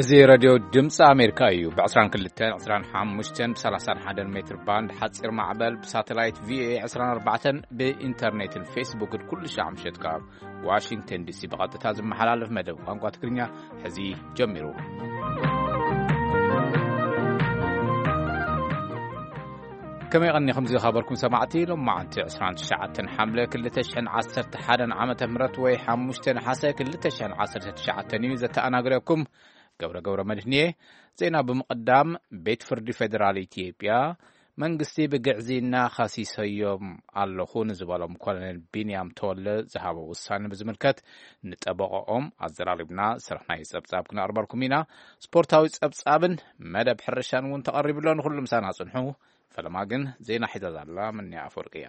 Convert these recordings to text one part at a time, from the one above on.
እዚ ሬድዮ ድምፂ ኣሜሪካ እዩ። ብ22፣ 25፣ ብ31 ሜትር ባንድ ሓፂር ማዕበል፣ ብሳተላይት ቪኦኤ 24፣ ብኢንተርኔትን ፌስቡክን ኩሉ ሻዕ ምሸት ካብ ዋሽንግተን ዲሲ ብቐጥታ ዝመሓላለፍ መደብ ቋንቋ ትግርኛ ሕዚ ጀሚሩ። ከመይ ቀኒኹም ዝኸበርኩም ሰማዕቲ? ሎማዓንቲ 29 ሓምለ 2011 ዓመተ ምህረት ወይ 5 ነሓሰ 2019 እዩ። ዘተኣናግረኩም ገብረ ገብረ መድህን እየ። ዜና ብምቕዳም፣ ቤት ፍርዲ ፌዴራል ኢትዮጵያ መንግስቲ ብግዕዝይና ኸሲሰዮም ኣለኹ ንዝበሎም ኮሎኔል ቢንያም ተወለ ዝሃቦ ውሳኔ ብዝምልከት ንጠበቐኦም ኣዘራሪብና ዝሰራሕናዮ ጸብጻብ ክነቕርበልኩም ኢና። ስፖርታዊ ጸብጻብን መደብ ሕርሻን እውን ተቐሪቡ ኣሎ። ንኹሉ ምሳና ጽንሑ። ፈለማ ግን ዜና ሒዛ ዛላ ምንያ ኣፈወርቂ እያ።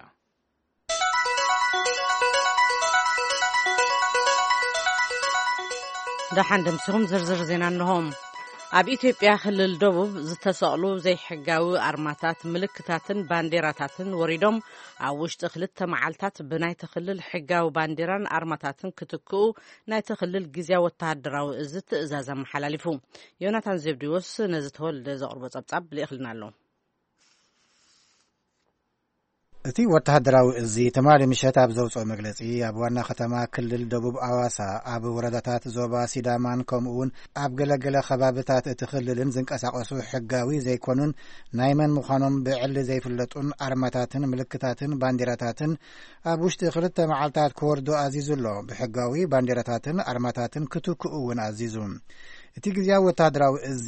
ደሓን ደምሲኹም ዝርዝር ዜና እንሆ። ኣብ ኢትዮጵያ ክልል ደቡብ ዝተሰቕሉ ዘይሕጋዊ ኣርማታት፣ ምልክታትን ባንዴራታትን ወሪዶም፣ ኣብ ውሽጢ ክልተ መዓልታት ብናይቲ ክልል ሕጋዊ ባንዴራን ኣርማታትን ክትክኡ ናይቲ ክልል ግዝያዊ ወተሃደራዊ እዚ ትእዛዝ ኣመሓላሊፉ። ዮናታን ዘብዲዎስ ነዚ ተወልደ ዘቕርቦ ጸብጻብ ልኢኽልና ኣሎ። እቲ ወተሃደራዊ እዚ ትማሊ ምሸት ኣብ ዘውፅኦ መግለፂ፣ ኣብ ዋና ከተማ ክልል ደቡብ ኣዋሳ፣ ኣብ ወረዳታት ዞባ ሲዳማን ከምኡ እውን ኣብ ገለገለ ከባብታት እቲ ክልልን ዝንቀሳቐሱ ሕጋዊ ዘይኮኑን ናይ መን ምዃኖም ብዕሊ ዘይፍለጡን ኣርማታትን ምልክታትን ባንዲራታትን ኣብ ውሽጢ ክልተ መዓልታት ክወርዱ ኣዚዙ ኣሎ። ብሕጋዊ ባንዲራታትን ኣርማታትን ክትክኡ እውን ኣዚዙ። እቲ ግዝያዊ ወተሃደራዊ እዚ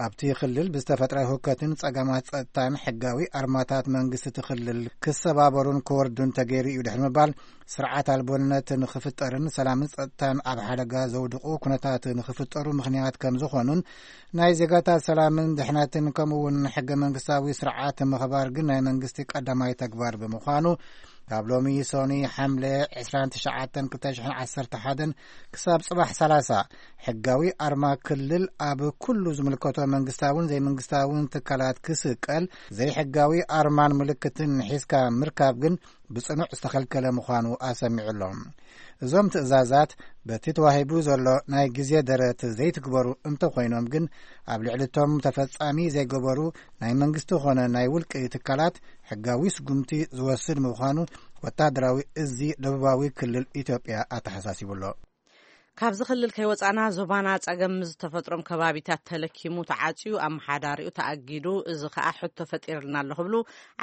ኣብቲ ክልል ብዝተፈጥረ ህውከትን ጸገማት ጸጥታን ሕጋዊ ኣርማታት መንግስቲ እቲ ክልል ክሰባበሩን ክወርዱን ተገይሩ እዩ ድሕሪ ምባል፣ ስርዓት ኣልቦነት ንኽፍጠርን ሰላምን ጸጥታን ኣብ ሓደጋ ዘውድቑ ኩነታት ንኽፍጠሩ ምኽንያት ከም ዝኾኑን ናይ ዜጋታት ሰላምን ድሕነትን ከምኡ እውን ሕገ መንግስታዊ ስርዓት ምኽባር ግን ናይ መንግስቲ ቀዳማይ ተግባር ብምዃኑ ካብ ሎሚ ሶኒ ሓምለ 29 2011 ክሳብ ጽባሕ 30 ሕጋዊ ኣርማ ክልል ኣብ ኩሉ ዝምልከቶ መንግስታውን ዘይመንግስታውን ትካላት ክስቀል፣ ዘይሕጋዊ ኣርማን ምልክትን ሒዝካ ምርካብ ግን ብጽኑዕ ዝተኸልከለ ምዃኑ ኣሰሚዑ ኣሎ። እዞም ትእዛዛት በቲ ተዋሂቡ ዘሎ ናይ ግዜ ደረት ዘይትግበሩ እንተኾይኖም ግን፣ ኣብ ልዕሊ እቶም ተፈጻሚ ዘይገበሩ ናይ መንግስቲ ኾነ ናይ ውልቂ ትካላት ሕጋዊ ስጉምቲ ዝወስድ ምዃኑ ወታደራዊ እዚ ደቡባዊ ክልል ኢትዮጵያ ኣተሓሳሲቡ ኣሎ። ካብዚ ክልል ከይወጻና ዞባና ጸገም ምስ ዝተፈጥሮም ከባቢታት ተለኪሙ ተዓጽዩ፣ ኣመሓዳሪኡ ተኣጊዱ፣ እዚ ከኣ ሕቶ ፈጢርልና ኣሎ ክብሉ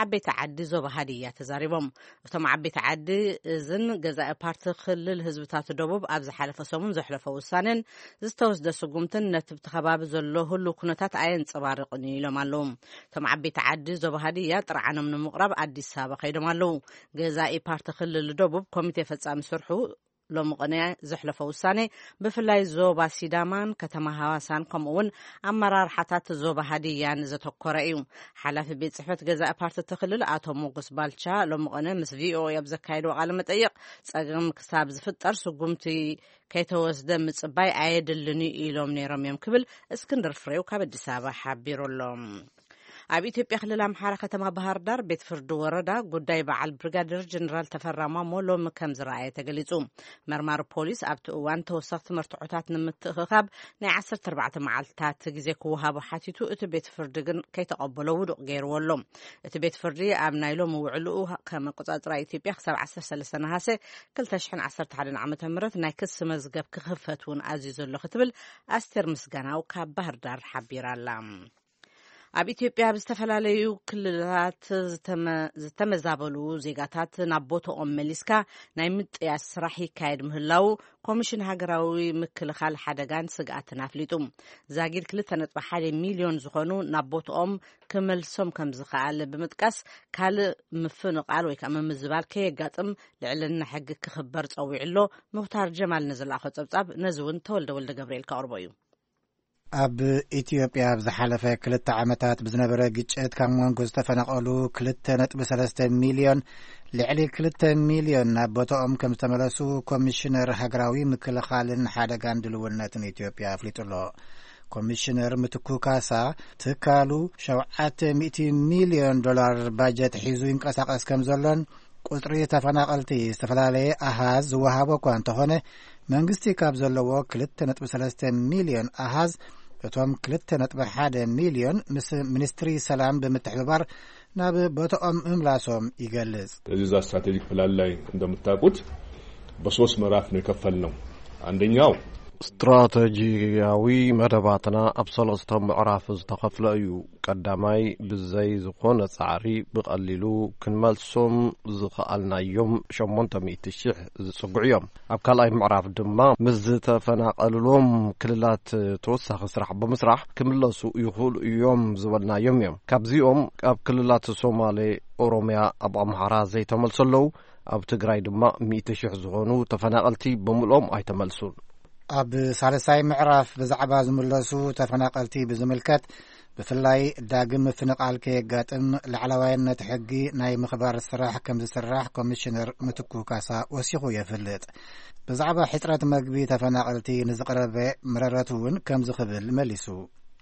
ዓበይቲ ዓዲ ዞባ ሃዲያ ተዛሪቦም። እቶም ዓበይቲ ዓዲ እዝን ገዛኢ ፓርቲ ክልል ህዝብታት ደቡብ ኣብ ዝሓለፈ ሰሙን ዘሕለፎ ውሳኔን ዝተወስደ ስጉምትን ነቲ ብቲ ከባቢ ዘሎ ህሉው ኩነታት ኣየንጸባርቕን እዩ ኢሎም ኣለዉ። እቶም ዓበይቲ ዓዲ ዞባ ሃዲያ ጥርዓኖም ንምቕራብ ኣዲስ ኣበባ ከይዶም ኣለዉ። ገዛኢ ፓርቲ ክልል ደቡብ ኮሚቴ ፈጻሚ ስርሑ ሎሚ ቅነ ዘሕለፎ ውሳኔ ብፍላይ ዞባ ሲዳማን ከተማ ሃዋሳን ከምኡ እውን ኣመራርሓታት ዞባ ሃዲያን ዘተኮረ እዩ። ሓላፊ ቤት ጽሕፈት ገዛኢ ፓርቲ እቲ ክልል ኣቶ ሞጎስ ባልቻ ሎሚ ቅነ ምስ ቪኦኤ ኣብ ዘካየድዎ ቃለ መጠይቕ፣ ጸገም ክሳብ ዝፍጠር ስጉምቲ ከይተወስደ ምጽባይ ኣየድልን እዩ ኢሎም ነይሮም እዮም ክብል እስክንድር ፍሬው ካብ ኣዲስ ኣበባ ሓቢሩ ኣሎ። ኣብ ኢትዮጵያ ክልል ኣምሓራ ከተማ ባህር ዳር ቤት ፍርዲ ወረዳ ጉዳይ በዓል ብሪጋዴር ጀነራል ተፈራ ማሞ ሎሚ ከም ዝረኣየ ተገሊጹ። መርማሪ ፖሊስ ኣብቲ እዋን ተወሰኽቲ መርትዖታት ንምትእኽኻብ ናይ 14 መዓልትታት ግዜ ክወሃቦ ሓቲቱ፣ እቲ ቤት ፍርዲ ግን ከይተቐበሎ ውዱቕ ገይርዎ ኣሎ። እቲ ቤት ፍርዲ ኣብ ናይ ሎሚ ውዕልኡ ከም ኣቆጻጽራ ኢትዮጵያ ክሳብ 13 ነሃሰ 2011 ዓ.ም ናይ ክሲ መዝገብ ክኽፈት እውን ኣዚዙ ኣሎ ክትብል ኣስቴር ምስጋናው ካብ ባህር ዳር ሓቢራ ኣላ። ኣብ ኢትዮጵያ ኣብ ዝተፈላለዩ ክልላት ዝተመ-፣ ዝተመዛበሉ ዜጋታት ናብ ቦታኦም መሊስካ ናይ ምጥያስ ስራሕ ይካየድ ምህላው ኮሚሽን ሃገራዊ ምክልኻል ሓደጋን ስግኣትን ኣፍሊጡ። ዛጊድ 2.1 ሚልዮን ዝኾኑ ናብ ቦታኦም ክመልሶም ከም ዝኸኣል ብምጥቃስ፣ ካልእ ምፍንቓል ወይ ከዓ ምምዝባል ከየጋጥም ልዕልና ሕጊ ክኽበር ጸዊዑ ኣሎ። ሙኽታር ጀማል ንዝለኣኾ ጸብጻብ ነዚ እውን ተወልደ ወልደ ገብርኤል ከቕርቦ እዩ። ኣብ ኢትዮጵያ ኣብ ዝሓለፈ ክልተ ዓመታት ብዝነበረ ግጭት ካብ መንጎ ዝተፈናቐሉ 2.3 ሚልዮን፣ ልዕሊ 2 ሚልዮን ናብ ቦታኦም ከም ዝተመለሱ ኮሚሽነር ሃገራዊ ምክልኻልን ሓደጋን ድልውነትን ኢትዮጵያ ኣፍሊጡ ኣሎ። ኮሚሽነር ምትኩ ካሳ፣ ትካሉ 700 ሚልዮን ዶላር ባጀት ሒዙ ይንቀሳቐስ ከም ዘሎን፣ ቁጽሪ ተፈናቐልቲ ዝተፈላለየ ኣሃዝ ዝወሃቦ እኳ እንተኾነ፣ መንግስቲ ካብ ዘለዎ 2.3 ሚልዮን ኣሃዝ እቶም ክልተ ነጥቢ ሓደ ሚልዮን ምስ ሚኒስትሪ ሰላም ብምትሕብባር ናብ ቦታኦም ምምላሶም ይገልጽ። እዚህ እዛ ስትራቴጂክ ፕላን ላይ እንደምታውቁት በሶስት ምዕራፍ ነው የከፈልነው። አንደኛው ስትራቴጂያዊ መደባትና ኣብ ሰለስተ ምዕራፍ ዝተኸፍለ እዩ። ቀዳማይ፣ ብዘይ ዝኾነ ጻዕሪ ብቐሊሉ ክንመልሶም ዝኸኣልናዮም ሸሞንተ ሚእቲ ሽሕ ዝጽግዑ እዮም። ኣብ ካልኣይ ምዕራፍ ድማ ምስ ዝተፈናቐልሎም ክልላት ተወሳኺ ስራሕ ብምስራሕ ክምለሱ ይኽእሉ እዮም ዝበልናዮም እዮም። ካብዚኦም ኣብ ክልላት ሶማሌ፣ ኦሮምያ፣ ኣብ ኣምሓራ ዘይተመልሱ ኣለዉ። ኣብ ትግራይ ድማ ሚእቲ ሽሕ ዝኾኑ ተፈናቐልቲ ብምልኦም ኣይተመልሱን። ኣብ ሳልሳይ ምዕራፍ ብዛዕባ ዝምለሱ ተፈናቐልቲ ብዝምልከት፣ ብፍላይ ዳግም ምፍንቓል ከየጋጥም ላዕለዋይነት ሕጊ ናይ ምኽባር ስራሕ ከም ዝስራሕ ኮሚሽነር ምትኩ ካሳ ወሲኹ የፍልጥ። ብዛዕባ ሕጽረት መግቢ ተፈናቐልቲ ንዝቐረበ መረረት እውን ከምዚ ክብል መሊሱ።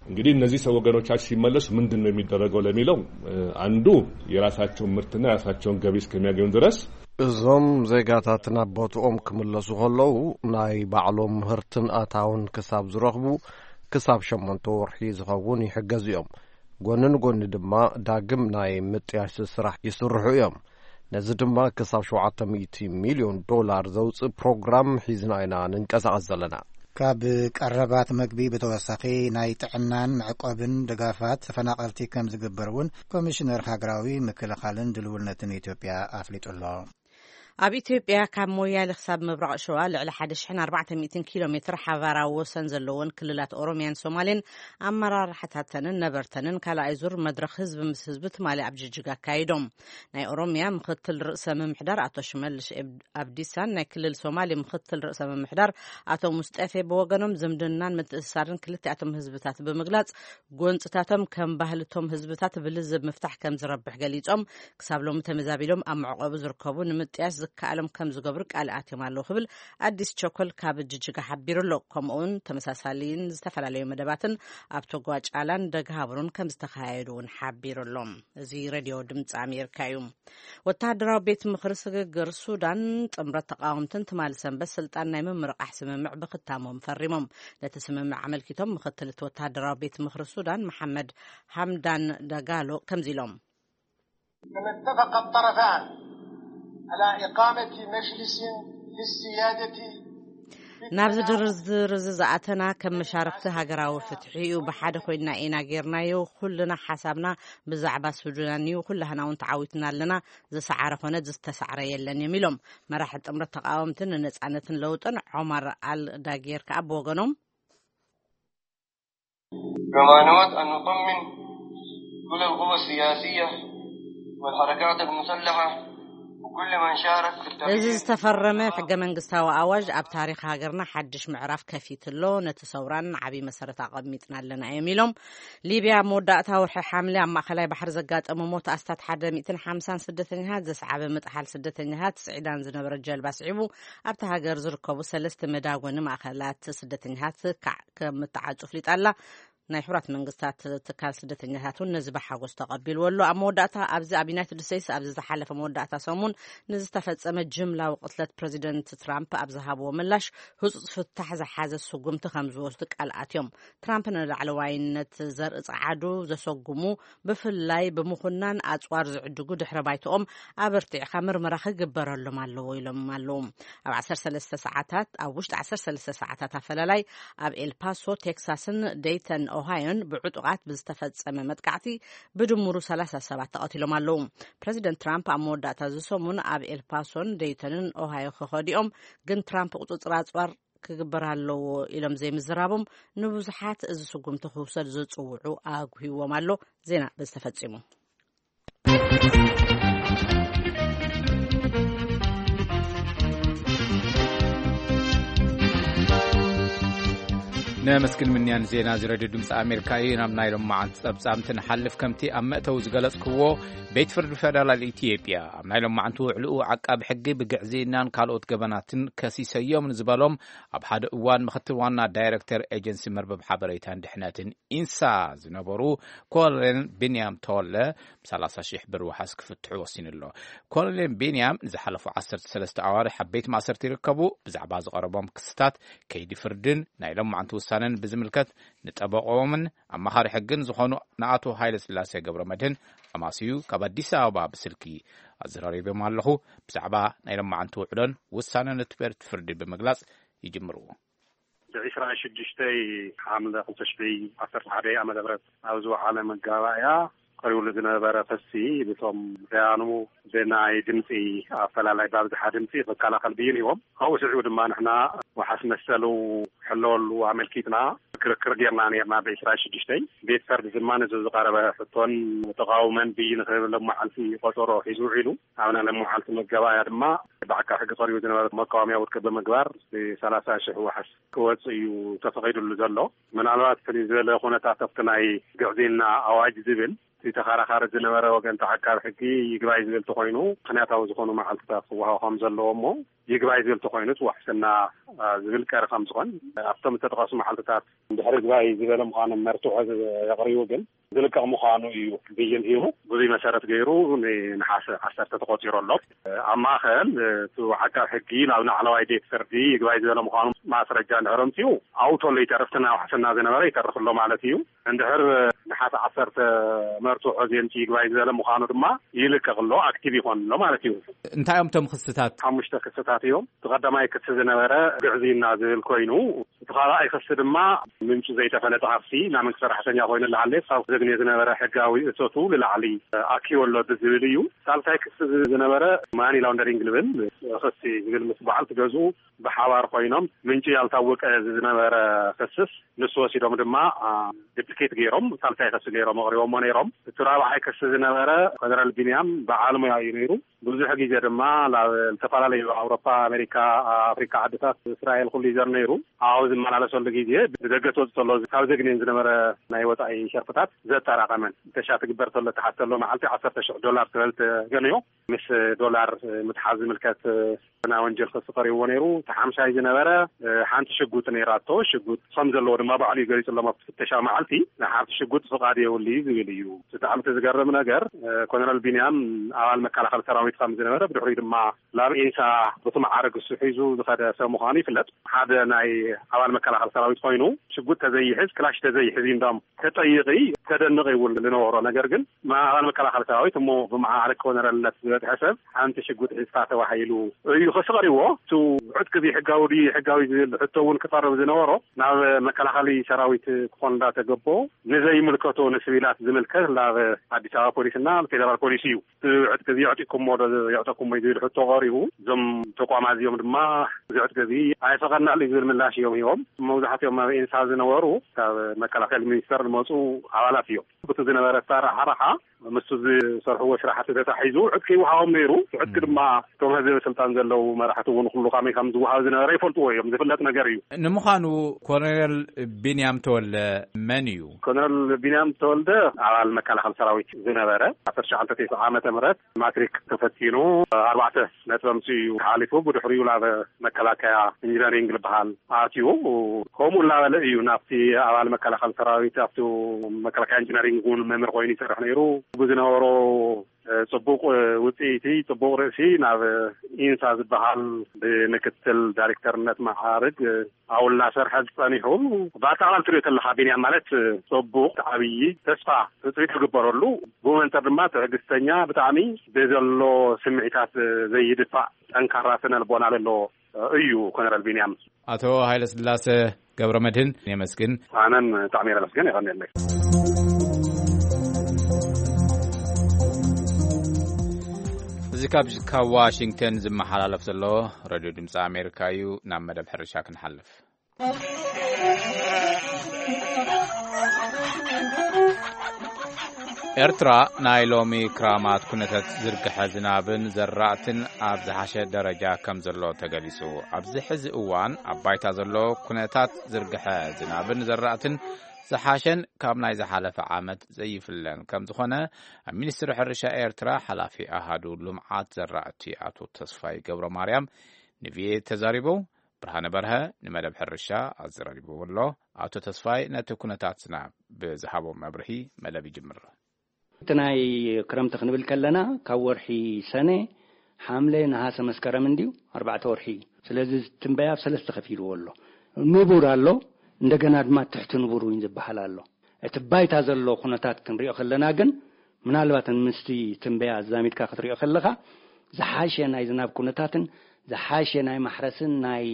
እንግዲህ እነዚህ ሰው ወገኖቻችን ሲመለሱ ምንድን ነው የሚደረገው ለሚለው፣ እ፣ አንዱ የራሳቸውን ምርትና የራሳቸውን ገቢ እስከሚያገኙ ድረስ እዞም ዜጋታት ናብ ቦትኦም ክምለሱ ከለዉ ናይ ባዕሎም ምህርትን ኣታውን ክሳብ ዝረኽቡ ክሳብ ሸሞንተ ወርሒ ዝኸውን ይሕገዙ እዮም። ጎኒ ንጎኒ ድማ ዳግም ናይ ምጥያሽ ስራሕ ይስርሑ እዮም። ነዚ ድማ ክሳብ ሸውዓተ ሚእቲ ሚልዮን ዶላር ዘውፅእ ፕሮግራም ሒዝና ኢና ንንቀሳቐስ ዘለና። ካብ ቀረባት መግቢ ብተወሳኺ ናይ ጥዕናን መዕቆብን ድጋፋት ተፈናቐልቲ ከም ዝግበር እውን ኮሚሽነር ሃገራዊ ምክልኻልን ድልውነትን ኢትዮጵያ ኣፍሊጡ ኣሎ። ኣብ ኢትዮጵያ ካብ ሞያሌ ክሳብ ምብራቕ ሸዋ ልዕሊ ሓደ ሽሕን ኣርባዕተ ሚእትን ኪሎ ሜትር ሓባራዊ ወሰን ዘለወን ክልላት ኦሮሚያን ሶማሌን ኣመራርሓታተንን ነበርተንን ካልኣይ ዙር መድረኽ ህዝቢ ምስ ህዝቢ ትማሊ ኣብ ጅጅጋ ኣካይዶም። ናይ ኦሮሚያ ምክትል ርእሰ ምምሕዳር ኣቶ ሽመልሽ ኤብ-፣ ኣብዲሳን ናይ ክልል ሶማሌ ምክትል ርእሰ ምምሕዳር ኣቶ ሙስጠፌ ብወገኖም ዝምድናን ምትእስሳርን ክልቲኣቶም ህዝብታት ብምግላጽ፣ ጎንጽታቶም ከም ባህልቶም ህዝብታት ብልዝብ ምፍታሕ ከም ዝረብሕ ገሊጾም፣ ክሳብ ሎሚ ተመዛቢሎም ኣብ መዕቆቢ ዝርከቡ ንምጥያሽ ዝከኣሎም ከም ዝገብሩ ቃል ኣትዮም ኣለዉ ክብል ኣዲስ ቸኮል ካብ ጅጅጋ ሓቢሩ ኣሎ። ከምኡውን ተመሳሳሊን ዝተፈላለዩ መደባትን ኣብ ቶጓ ጫላን ደግሃብሩን ከም ዝተኻየዱ እውን ሓቢሩ ኣሎ። እዚ ሬድዮ ድምፂ ኣሜሪካ እዩ። ወተሃደራዊ ቤት ምኽሪ ስግግር ሱዳን ጥምረት ተቃወምትን ትማሊ ሰንበት ስልጣን ናይ ምምርቃሕ ስምምዕ ብክታሞም ፈሪሞም። ነቲ ስምምዕ ኣመልኪቶም ምክትል እቲ ወተሃደራዊ ቤት ምኽሪ ሱዳን መሓመድ ሃምዳን ዳጋሎ ከምዚ ኢሎም። كما اتفق الطرفان على إقامة مجلس للسيادة في ናብዚ التناوب. ድርድር እዚ ዝኣተና ከም መሻርክቲ ሃገራዊ ፍትሒ እዩ። ብሓደ ኮይንና ኢና ጌርናዮ። ኩልና ሓሳብና ብዛዕባ ሱዳን እዩ። ኩላህና እውን ተዓዊትና ኣለና። ዝሰዓረ ኮነ ዝተሳዕረ የለን እዮም ኢሎም። መራሒ ጥምረት ተቃወምትን ንነጻነትን ለውጥን ዖማር ኣል ዳጌር ከኣ ብወገኖም كما نود أن نطمن كل القوى السياسية والحركات المسلحة وكل من شارك في التغيير እዚ ዝተፈረመ ሕገ መንግስታዊ ኣዋጅ ኣብ ታሪኽ ሃገርና ሓድሽ ምዕራፍ ከፊት ኣሎ። ነቲ ሰውራን ዓብዪ መሰረት ኣቐሚጥና ኣለና እዮም ኢሎም። ሊብያ ኣብ መወዳእታ ወርሒ ሓምለ ኣብ ማእኸላይ ባሕሪ ዘጋጠመ ሞት ኣስታት ሓደ ሚእትን ሓምሳን ስደተኛታት ዘስዓበ ምጥሓል ስደተኛታት ስዒዳን ዝነበረ ጀልባ ስዒቡ ኣብቲ ሃገር ዝርከቡ ሰለስተ መዳጎኒ ማእኸላት ስደተኛታት ካዕ ከም እተዓጹ ኣፍሊጣ ኣላ። ናይ ሕቡራት መንግስታት ትካል ስደተኛታት እውን ነዚ ብሓጎስ ተቐቢልዎ ኣሎ። ኣብ መወዳእታ ኣብዚ ኣብ ዩናይትድ ስቴትስ ኣብዚ ዝሓለፈ መወዳእታ ሰሙን ንዝተፈጸመ ጅምላዊ ቅትለት ፕረዚደንት ትራምፕ ኣብ ዝሃብዎ ምላሽ ህጹጽ ፍታሕ ዝሓዘ ስጉምቲ ከም ዝወስዱ ቃል ኣትዮም። ትራምፕ ንላዕለዋይነት ዘርኢ ጸዓዱ ዘሰጉሙ ብፍላይ ብምኹናን ኣጽዋር ዝዕድጉ ድሕረ ባይትኦም ኣበርቲዕካ ምርመራ ክግበረሎም ኣለዎ ኢሎም ኣለዉ። ኣብ ዓሰርተ ሰለስተ ሰዓታት፣ ኣብ ውሽጢ ዓሰርተ ሰለስተ ሰዓታት ኣፈላላይ ኣብ ኤልፓሶ ቴክሳስን ደይተን ኦሃዮን ብዕጡቓት ብዝተፈጸመ መጥቃዕቲ ብድምሩ ሰላሳ ሰባት ተቐቲሎም ኣለዉ። ፕረዚደንት ትራምፕ ኣብ መወዳእታ እዚ ሰሙን ኣብ ኤልፓሶን ደይተንን ኦሃዮ ክኸዲኦም፣ ግን ትራምፕ ቁጽጽር ኣጽዋር ክግበር ኣለዎ ኢሎም ዘይምዝራቦም ንብዙሓት እዚ ስጉምቲ ክውሰድ ዝጽውዑ ኣጉሂዎም ኣሎ። ዜና በዚ ተፈጺሙ። ነመስግን ምንያን ዜና እዚ ሬድዮ ድምፂ ኣሜሪካ እዩ። ናብ ናይ ሎማዓንቲ ጸብጻምቲ ንሓልፍ። ከምቲ ኣብ መእተዊ ዝገለጽክዎ፣ ቤት ፍርዲ ፌደራል ኢትዮጵያ ኣብ ናይ ሎማዓንቲ ውዕልኡ ዓቃቢ ሕጊ ብግዕዝይናን ካልኦት ገበናትን ከሲሰዮም ንዝበሎም ኣብ ሓደ እዋን ምክትል ዋና ዳይሬክተር ኤጀንሲ መርበብ ሓበሬታን ድሕነትን ኢንሳ ዝነበሩ ኮሎኔል ቢንያም ተወለ ብ ሰላሳ ሺሕ ብር ዋሕስ ክፍትሑ ወሲኑ ኣሎ። ኮሎኔል ቢንያም ንዝሓለፉ ዓሰርተ ሰለስተ ኣዋርሕ ኣብ ቤት ማእሰርቲ ይርከቡ። ብዛዕባ ዝቐረቦም ክስታት፣ ከይዲ ፍርድን ናይ ሎማዓንቲ ውሳነ ነን ብዝምልከት ንጠበቆምን ኣማኻሪ ሕግን ዝኾኑ ንኣቶ ሃይለ ስላሴ ገብረ መድህን ኣማስዩ ካብ ኣዲስ ኣበባ ብስልኪ ኣዘራሪቦም ኣለኹ። ብዛዕባ ናይ ሎማዓንቲ ውዕሎን ውሳነን እቲ ቤት ፍርዲ ብምግላጽ ይጅምሩ። ብ ዕስራን ሽዱሽተን ሓምለ ክልተ ሽሕን ዓሰርተ ሓደ ዓመተ ምህረት ኣብ ዝወዓለ መጋባእያ ቀሪቡሉ ዝነበረ ክሲ፣ ብቶም ደያኑ ብናይ ድምፂ ኣፈላላይ ብኣብዝሓ ድምፂ ክከላኸል ብይን ሂቦም። ካብኡ ስዒቡ ድማ ንሕና ዋሓስ መሰሉ ክሕለወሉ ኣመልኪትና ክርክር ጌርና ኔርና። ብ ዕስራን ሽዱሽተን ቤት ፈርዲ ድማ ነዚ ዝቐረበ ሕቶን ተቓውመን ብይን ክህብ ለመዓልቲ ቆፀሮ ሒዙ ውዒሉ። ኣብና ለመዓልቲ መጋባእያ ድማ ብዓቃብ ሕጊ ቀሪቡ ዝነበረ መቃወምያ ውድቂ ብምግባር ሰላሳ ሽሕ ዋሓስ ክወፅእ እዩ ተፈቒዱሉ ዘሎ። ምናልባት ፍልይ ዝበለ ኩነታት ኣብቲ ናይ ግዕዝይና ኣዋጅ ዝብል እቲ ተኸራኻሪ ዝነበረ ወገን ተዓቃቢ ሕጊ ይግባይ ዝብል ተኾይኑ ምኽንያታዊ ዝኾኑ መዓልትታት ክወሃቡ ከም ዘለዎ እሞ ይግባይ ዝብል ተኾይኑ እቲ ዋሕስና ዝብል ቀሪ ከም ዝኾን ኣብቶም ዝተጠቐሱ መዓልትታት እንድሕር ይግባይ ዝበለ ምዃኑ መርትዖ የቕሪቡ ግን ዝልቀቕ ምዃኑ እዩ ብይን ሂቡ። ብዙይ መሰረት ገይሩ ንነሓሰ ዓሰርተ ተቆፂሩ ኣሎ። ኣብ ማእኸል እቲ ዓቃብ ሕጊ ናብ ላዕለዋይ ቤት ፍርዲ ይግባይ ዝበለ ምዃኑ ማስረጃ እንድሕር ኣምፅኡ ኣብኡ ተሎ ይተርፍ፣ እቲ ናይ ዋሕስና ዝነበረ ይተርፍ ኣሎ ማለት እዩ። እንድሕር ነሓሰ ዓሰርተ መርትዖ ዘምፂ ይግባይ ዝበለ ምዃኑ ድማ ይልቀቕ ኣሎ፣ ኣክቲቭ ይኾን ኣሎ ማለት እዩ። እንታይ እዮም እቶም ክስታት? ሓሙሽተ ክስታት እዮም። እቲ ቀዳማይ ክሲ ዝነበረ ግዕዝይና ዝብል ኮይኑ እቲ ካልኣይ ክሲ ድማ ምንጩ ዘይተፈለጠ ሃፍቲ ናይ መንግስቲ ሰራሕተኛ ኮይኑ እናሃለየ ክሳብ ዘግንዮ ዝነበረ ሕጋዊ እቶቱ ንላዕሊ ኣኪቡ ኣሎ ብዝብል እዩ። ሳልሳይ ክሲ ዝነበረ ማኒ ላውንደሪንግ ዝብል ክሲ ዝብል ምስ በዓልቲ ገዝኡ ብሓባር ኮይኖም ምንጩ ያልታወቀ ዝነበረ ክስስ ንሱ ወሲዶም ድማ ዱፕሊኬት ገይሮም ሳልሳይ ክሲ ገይሮም ኣቕሪቦሞ ነይሮም። እቲ ራብዓይ ክሲ ዝነበረ ፈደራል ቢንያም በዓል ሙያ እዩ ነይሩ። ብዙሕ ግዜ ድማ ናብ ዝተፈላለዩ ኣውሮፓ፣ ኣሜሪካ፣ ኣፍሪካ ዓድታት እስራኤል ኩሉ ይዘር ነይሩ። ኣብኡ ዝመላለሰሉ ግዜ ብደገ ትወፅእ ተሎ ካብ ዘግንየን ዝነበረ ናይ ወፃኢ ሸርፍታት ዘጠራቐመን ተሻ ትግበር ተሎ ተሓተሎ መዓልቲ ዓሰርተ ሽሕ ዶላር ትበል ተገንዮ ምስ ዶላር ምትሓዝ ዝምልከት ናይ ወንጀል ክሲ ቀሪብዎ ነይሩ። እቲ ሓምሻይ ዝነበረ ሓንቲ ሽጉጥ ነይራቶ። ሽጉጥ ከም ዘለዎ ድማ ባዕሉ እዩ ገሊፁሎም ኣብቲ ፍተሻ መዓልቲ። ናይ ሓንቲ ሽጉጥ ፍቓድ የብሉ እዩ ዝብል እዩ። ብጣዕሚ እቲ ዝገርም ነገር ኮሎነል ቢንያም ኣባል መከላኸሊ ሰራዊት ከም ዝነበረ ብድሕሪኡ ድማ ናብ ኢንሳ ብቲ መዓርግ እሱ ሒዙ ዝኸደ ሰብ ምዃኑ ይፍለጥ። ሓደ ናይ ኣባል መከላኸሊ ሰራዊት ኮይኑ ሽጉጥ ተዘይሕዝ ክላሽ ተዘይሕዝ እንዳም ተጠይቂ ተደንቕ ይብል ዝነበሮ ነገር ግን ኣባል መከላኸሊ ሰራዊት እሞ ብመዓርግ ኮነረልነት ዝበፅሐ ሰብ ሓንቲ ሽጉጥ ሒዝካ ተባሂሉ እዩ ክሲ ቀሪብዎ። እቲ ዕጥቂ እዚ ሕጋዊ ድዩ ሕጋዊ ዝብል ሕቶ እውን ክቐርብ ዝነበሮ ናብ መከላኸሊ ሰራዊት ክኾን እንዳተገቦ ንዘይምልከቶ ንስቪላት ዝምልከት ናብ ኣዲስ ኣበባ ፖሊስና ፌደራል ፖሊስ እዩ። እቲ ዕጥቂ እዚ ኣዕጢቅኩሞ ዶ የዕጠቅኩሞ እዩ ዝብል ሕቶ ቀሪቡ እዞም ተቋማት እዚኦም ድማ እዚ ዕጥቂ እዚ ኣይፈቐድናሉ እዩ ዝብል ምላሽ እዮም ሂቦም። መብዛሕትኦም ኣብ ኤንሳ ዝነበሩ ካብ መከላኸሊ ሚኒስተር ዝመፁ ኣባላት እዮም። ብቲ ዝነበረ ኣሰራርሓ ምስቲ ዝሰርሕዎ ስራሕቲ ተታሒዙ ዕጥቂ ይወሃቦም ነይሩ። ዕጥቂ ድማ እቶም ህዝቢ ስልጣን ዘለዉ መራሕቲ እውን ኩሉ ከመይ ከም ዝወሃብ ዝነበረ ይፈልጥዎ እዮም። ዝፍለጥ ነገር እዩ። ንምዃኑ ኮሎኔል ቢንያም ተወልደ መን እዩ? ኮሎኔል ቢንያም ተወልደ ኣባል መከላኸሊ ሰራዊት ዝነበረ ዓሰርተ ትሽዓተ ዓመተ ምህረት ማትሪክ ተፈቲኑ ኣርባዕተ ነጥቢ ኣምፅኡ እዩ ሓሊፉ። ብድሕሪኡ ናብ መከላከያ ኢንጂነሪንግ ዝበሃል ኣትዩ ከምኡ እናበለ እዩ ናብቲ ኣባል መከላኸሊ ሰራዊት ኣብቲ መከላከያ ኢንጂነሪንግ እውን መምህር ኮይኑ ይሰርሕ ነይሩ። ብዝነበሮ ፅቡቕ ውፅኢቲ ፅቡቕ ርእሲ ናብ ኢንሳ ዝበሃል ብምክትል ዳይሬክተርነት መዓርግ ኣብኡ እናሰርሐ ዝፀኒሑ ብኣጠቓላሊ ትሪኦ ተለካ ቢንያም ማለት ፅቡቕ ዓብዪ ተስፋ ትፅቢት ዝግበረሉ ብመንፅር ድማ ትዕግስተኛ ብጣዕሚ ብዘሎ ስምዒታት ዘይድፋእ ጠንካራ ስነ ልቦና ዘለዎ እዩ ኮነረል ቢንያም። ኣቶ ሃይለስላሰ ገብረ መድህን የመስግን። ኣነን ብጣዕሚ የመስግን። የቐንየለይ። እዚ ካብ ካብ ዋሽንግተን ዝመሓላለፍ ዘሎ ሬድዮ ድምፂ ኣሜሪካ እዩ። ናብ መደብ ሕርሻ ክንሓልፍ። ኤርትራ ናይ ሎሚ ክራማት ኩነታት ዝርግሐ ዝናብን ዘራእትን ኣብ ዝሓሸ ደረጃ ከም ዘሎ ተገሊጹ። ኣብዚ ሕዚ እዋን ኣብ ባይታ ዘሎ ኩነታት ዝርግሐ ዝናብን ዘራእትን ዝሓሸን ካብ ናይ ዝሓለፈ ዓመት ዘይፍለን ከም ዝኾነ ኣብ ሚኒስትሪ ሕርሻ ኤርትራ ሓላፊ ኣሃዱ ልምዓት ዘራእቲ ኣቶ ተስፋይ ገብረ ማርያም ንቪኦኤ ተዛሪቦም። ብርሃነ በርሀ ንመደብ ሕርሻ ኣዘራሪብዎ ኣሎ። ኣቶ ተስፋይ ነቲ ኩነታት ዝናብ ብዝሃቦ መብርሂ መደብ ይጅምር። እቲ ናይ ክረምቲ ክንብል ከለና ካብ ወርሒ ሰነ፣ ሓምለ፣ ነሃሰ፣ መስከረም እንድዩ ኣርባዕተ ወርሒ እዩ። ስለዚ ትንበያ ኣብ ሰለስተ ከፊልዎ ኣሎ። ንቡር ኣሎ፣ እንደገና ድማ ትሕቲ ንቡር እውን ዝበሃል ኣሎ። እቲ ባይታ ዘሎ ኩነታት ክንሪኦ ከለና ግን፣ ምናልባት ምስቲ ትንበያ ኣዛሚድካ ክትሪኦ ከለኻ፣ ዝሓሸ ናይ ዝናብ ኩነታትን ዝሓሸ ናይ ማሕረስን ናይ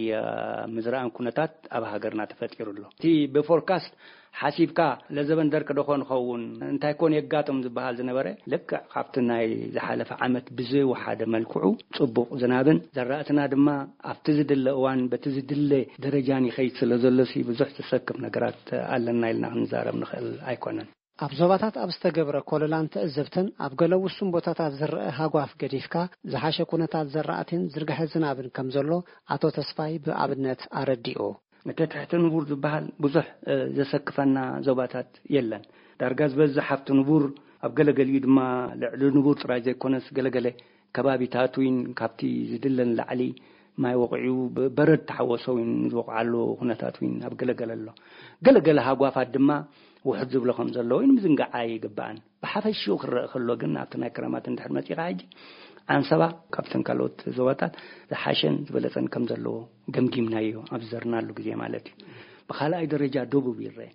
ምዝራእን ኩነታት ኣብ ሃገርና ተፈጢሩ ኣሎ። እቲ ብፎርካስት ሓሲብካ፣ ለዘበን ደርቂ ዶ ኾን ኸውን፣ እንታይ ኮን የጋጥም ዝበሃል ዝነበረ፣ ልክዕ ካብቲ ናይ ዝሓለፈ ዓመት ብዘይወሓደ መልክዑ ጽቡቕ ዝናብን፣ ዘራእትና ድማ ኣብቲ ዝድለ እዋን በቲ ዝድለ ደረጃን ይኸይድ ስለ ዘሎሲ፣ ብዙሕ ዘሰክፍ ነገራት ኣለና ኢልና ክንዛረብ ንኽእል ኣይኮነን። ኣብ ዞባታት ኣብ ዝተገብረ ኮለላን ትዕዝብትን፣ ኣብ ገለ ውሱን ቦታታት ዝረአ ሃጓፍ ገዲፍካ፣ ዝሓሸ ኩነታት ዘራእትን ዝርግሐ ዝናብን ከም ዘሎ ኣቶ ተስፋይ ብኣብነት ኣረዲኡ። እቲ ትሕቲ ንቡር ዝበሃል ብዙሕ ዘሰክፈና ዞባታት የለን። ዳርጋ ዝበዝሕ ኣብቲ ንቡር፣ ኣብ ገለገሊኡ ድማ ልዕሊ ንቡር ጥራይ ዘይኮነስ፣ ገለገለ ከባቢታት እውን ካብቲ ዝድለን ላዕሊ ማይ ወቕዑ፣ በረድ ተሓወሶ እውን ዝወቕዓሉ ኩነታት እውን ኣብ ገለገለ ኣሎ። ገለገለ ሃጓፋት ድማ ውሕድ ዝብሎ ከም ዘሎ እውን ምዝንጋዕ ኣይግባእን። ብሓፈሽኡ ክረአ ከሎ ግን፣ ኣብቲ ናይ ክረማት እንድሕር መጺኻ ሕጂ፣ ዓንሰባ ካብተን ካልኦት ዞባታት ዝሓሸን ዝበለጸን ከም ዘለዎ ገምጊምናዮ፣ ኣብ ዝዘርናሉ ግዜ ማለት እዩ። ብኻልኣይ ደረጃ ደቡብ ይረአ።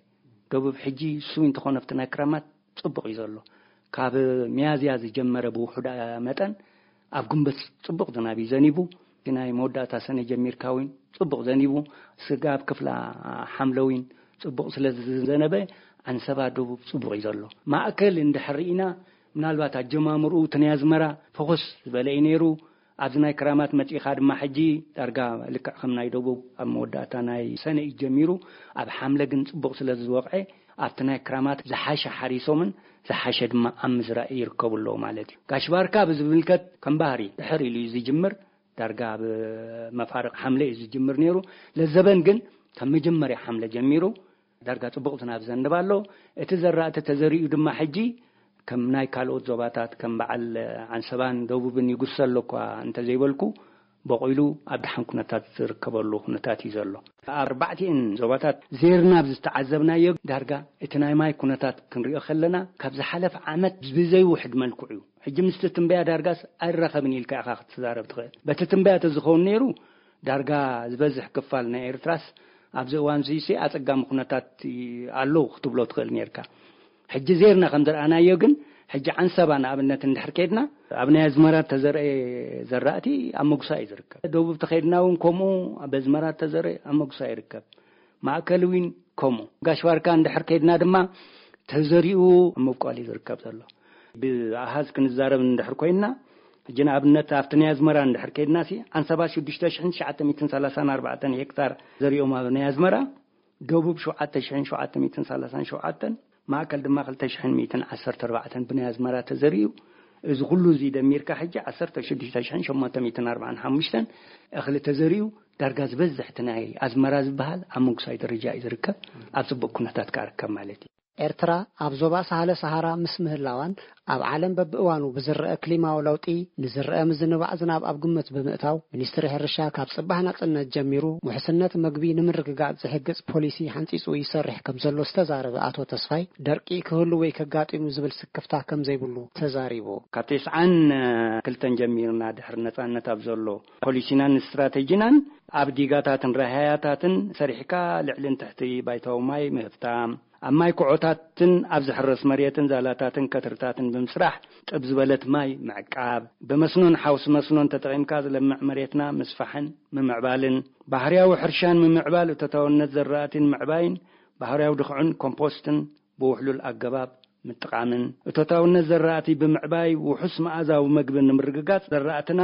ደቡብ ሕጂ እሱ እንተኾነ ኣብቲ ናይ ክረማት ጽቡቕ እዩ ዘሎ። ካብ ሚያዝያ ዝጀመረ ብውሑዳ መጠን ኣብ ግንቦት ጽቡቕ ዝናብ እዩ ዘኒቡ። እቲ ናይ መወዳእታ ሰነ ጀሚርካ እውን ጽቡቕ ዘኒቡ፣ ስጋብ ክፍላ ሓምለ እውን ጽቡቕ ስለ ዝዘነበ፣ ዓንሰባ ደቡብ ጽቡቕ እዩ ዘሎ። ማእከል እንድሕር ርኢና፣ ምናልባት ኣጀማምርኡ እቲ ናይ ኣዝመራ ፈኾስ ዝበለ እዩ ነይሩ። ኣብዚ ናይ ክራማት መጺኻ ድማ ሕጂ ዳርጋ ልክዕ ከም ናይ ደቡብ ኣብ መወዳእታ ናይ ሰነ እዩ ጀሚሩ። ኣብ ሓምለ ግን ጽቡቕ ስለ ዝወቕዐ፣ ኣብቲ ናይ ክራማት ዝሓሸ ሓሪሶምን ዝሓሸ ድማ ኣብ ምዝራእ ይርከቡ ኣለዉ ማለት እዩ። ጋሽ ባርካ ብዝምልከት ከም ባህሪ ድሕር ኢሉ እዩ ዝጅምር። ዳርጋ ኣብ መፋርቕ ሓምለ እዩ ዝጅምር ነይሩ። ለዘበን ግን ካብ መጀመርያ ሓምለ ጀሚሩ ዳርጋ ጽቡቕ ዝናብ ዘንብ ኣሎ። እቲ ዘራእቲ ተዘሪኡ ድማ ሕጂ ከም ናይ ካልኦት ዞባታት ከም በዓል ዓንሰባን ደቡብን ይጉሰ ኣሎ እኳ እንተዘይበልኩ፣ በቑሉ ኣብ ደሓን ኩነታት ዝርከበሉ ኩነታት እዩ ዘሎ። ኣብ ኣርባዕቲኤን ዞባታት ዜርና ኣብ ዝተዓዘብናዮ ዳርጋ እቲ ናይ ማይ ኩነታት ክንሪኦ ከለና፣ ካብ ዝሓለፈ ዓመት ብዘይውሕድ መልክዑ እዩ። ሕጂ ምስቲ ትንበያ ዳርጋስ ኣይራኸብን ኢልካ ኢኻ ክትዛረብ ትኽእል። በቲ ትንበያ ተዝኸውን ነይሩ፣ ዳርጋ ዝበዝሕ ክፋል ናይ ኤርትራስ ኣብዚ እዋን እዚሲ ኣጸጋሚ ኩነታት ኣለዉ ክትብሎ ትኽእል ነይርካ። ሕጂ ዜርና ከም ዝረኣናዮ ግን፣ ሕጂ ዓንሰባ ንኣብነት እንድሕር ከይድና፣ ኣብ ናይ ኣዝመራ ተዘርአ ዘራእቲ ኣብ ምጉሳይ እዩ ዝርከብ። ደቡብ ተኸይድና እውን ከምኡ፣ ኣብ ኣዝመራ ተዘርአ ኣብ ምጉሳይ ይርከብ። ማእከል እውን ከምኡ። ጋሽ ባርካ እንድሕር ከይድና ድማ፣ ተዘሪኡ ኣብ ምብቋል እዩ ዝርከብ ዘሎ። ብኣሃዝ ክንዛረብ እንድሕር ኮይንና፣ ሕጂ ንኣብነት ኣብቲ ናይ ኣዝመራ እንድሕር ከይድናሲ፣ ዓንሰባ ሽዱሽተ ሽሕን ትሽዓተ ሚእትን ሰላሳን ኣርባዕተን ሄክታር ዘሪኦም ኣብ ናይ ኣዝመራ፣ ደቡብ ሸውዓተ ሽሕን ሸውዓተ ሚእትን ሰላሳን ሸውዓተን፣ ማእከል ድማ ክልተ ሽሕን ሚእትን ዓሰርተ ኣርባዕተን ብናይ ኣዝመራ ተዘሪኡ። እዚ ኩሉ እዚ ደሚርካ ሕጂ ዓሰርተ ሽዱሽተ ሽሕን ሸሞንተ ሚእትን ኣርባዓን ሓሙሽተን እኽሊ ተዘሪኡ፣ ዳርጋ ዝበዝሕ እቲ ናይ ኣዝመራ ዝበሃል ኣብ ምጉሳይ ደረጃ እዩ ዝርከብ። ኣብ ጽቡቕ ኩነታት ከኣ ርከብ ማለት እዩ። ኤርትራ ኣብ ዞባ ሳህለ ሰሃራ ምስ ምህላዋን፣ ኣብ ዓለም በብእዋኑ ብዝረአ ክሊማዊ ለውጢ ንዝረአ ምዝንባዕ ዝናብ ኣብ ግምት ብምእታው፣ ሚኒስትሪ ሕርሻ ካብ ጽባሕ ናጽነት ጀሚሩ ውሕስነት መግቢ ንምርግጋጽ ዝሕግዝ ፖሊሲ ሓንጺጹ ይሰርሕ ከም ዘሎ ዝተዛረበ ኣቶ ተስፋይ፣ ደርቂ ክህሉ ወይ ከጋጢሙ ዝብል ስክፍታ ከም ዘይብሉ ተዛሪቡ። ካብ ተስዓን ክልተን ጀሚርና ድሕሪ ነጻነት ኣብ ዘሎ ፖሊሲናን ስትራተጂናን፣ ኣብ ዲጋታትን ራህያታትን ሰሪሕካ ልዕልን ትሕቲ ባይታዊ ማይ ምህፍታም፣ ኣብ ማይ ኩዖታትን ኣብ ዝሕረስ መሬትን ዛላታትን ከትርታትን ብምስራሕ ጥብ ዝበለት ማይ ምዕቃብ፣ ብመስኖን ሓውሲ መስኖን ተጠቒምካ ዝለምዕ መሬትና ምስፋሕን ምምዕባልን፣ ባህርያዊ ሕርሻን ምምዕባል እቶታውነት ዘራእቲን ምዕባይን፣ ባህርያዊ ድኹዕን ኮምፖስትን ብውሕሉል ኣገባብ ምጥቓምን፣ እቶታውነት ዘራእቲ ብምዕባይ ውሑስ መኣዛዊ መግቢ ንምርግጋጽ፣ ዘራእትና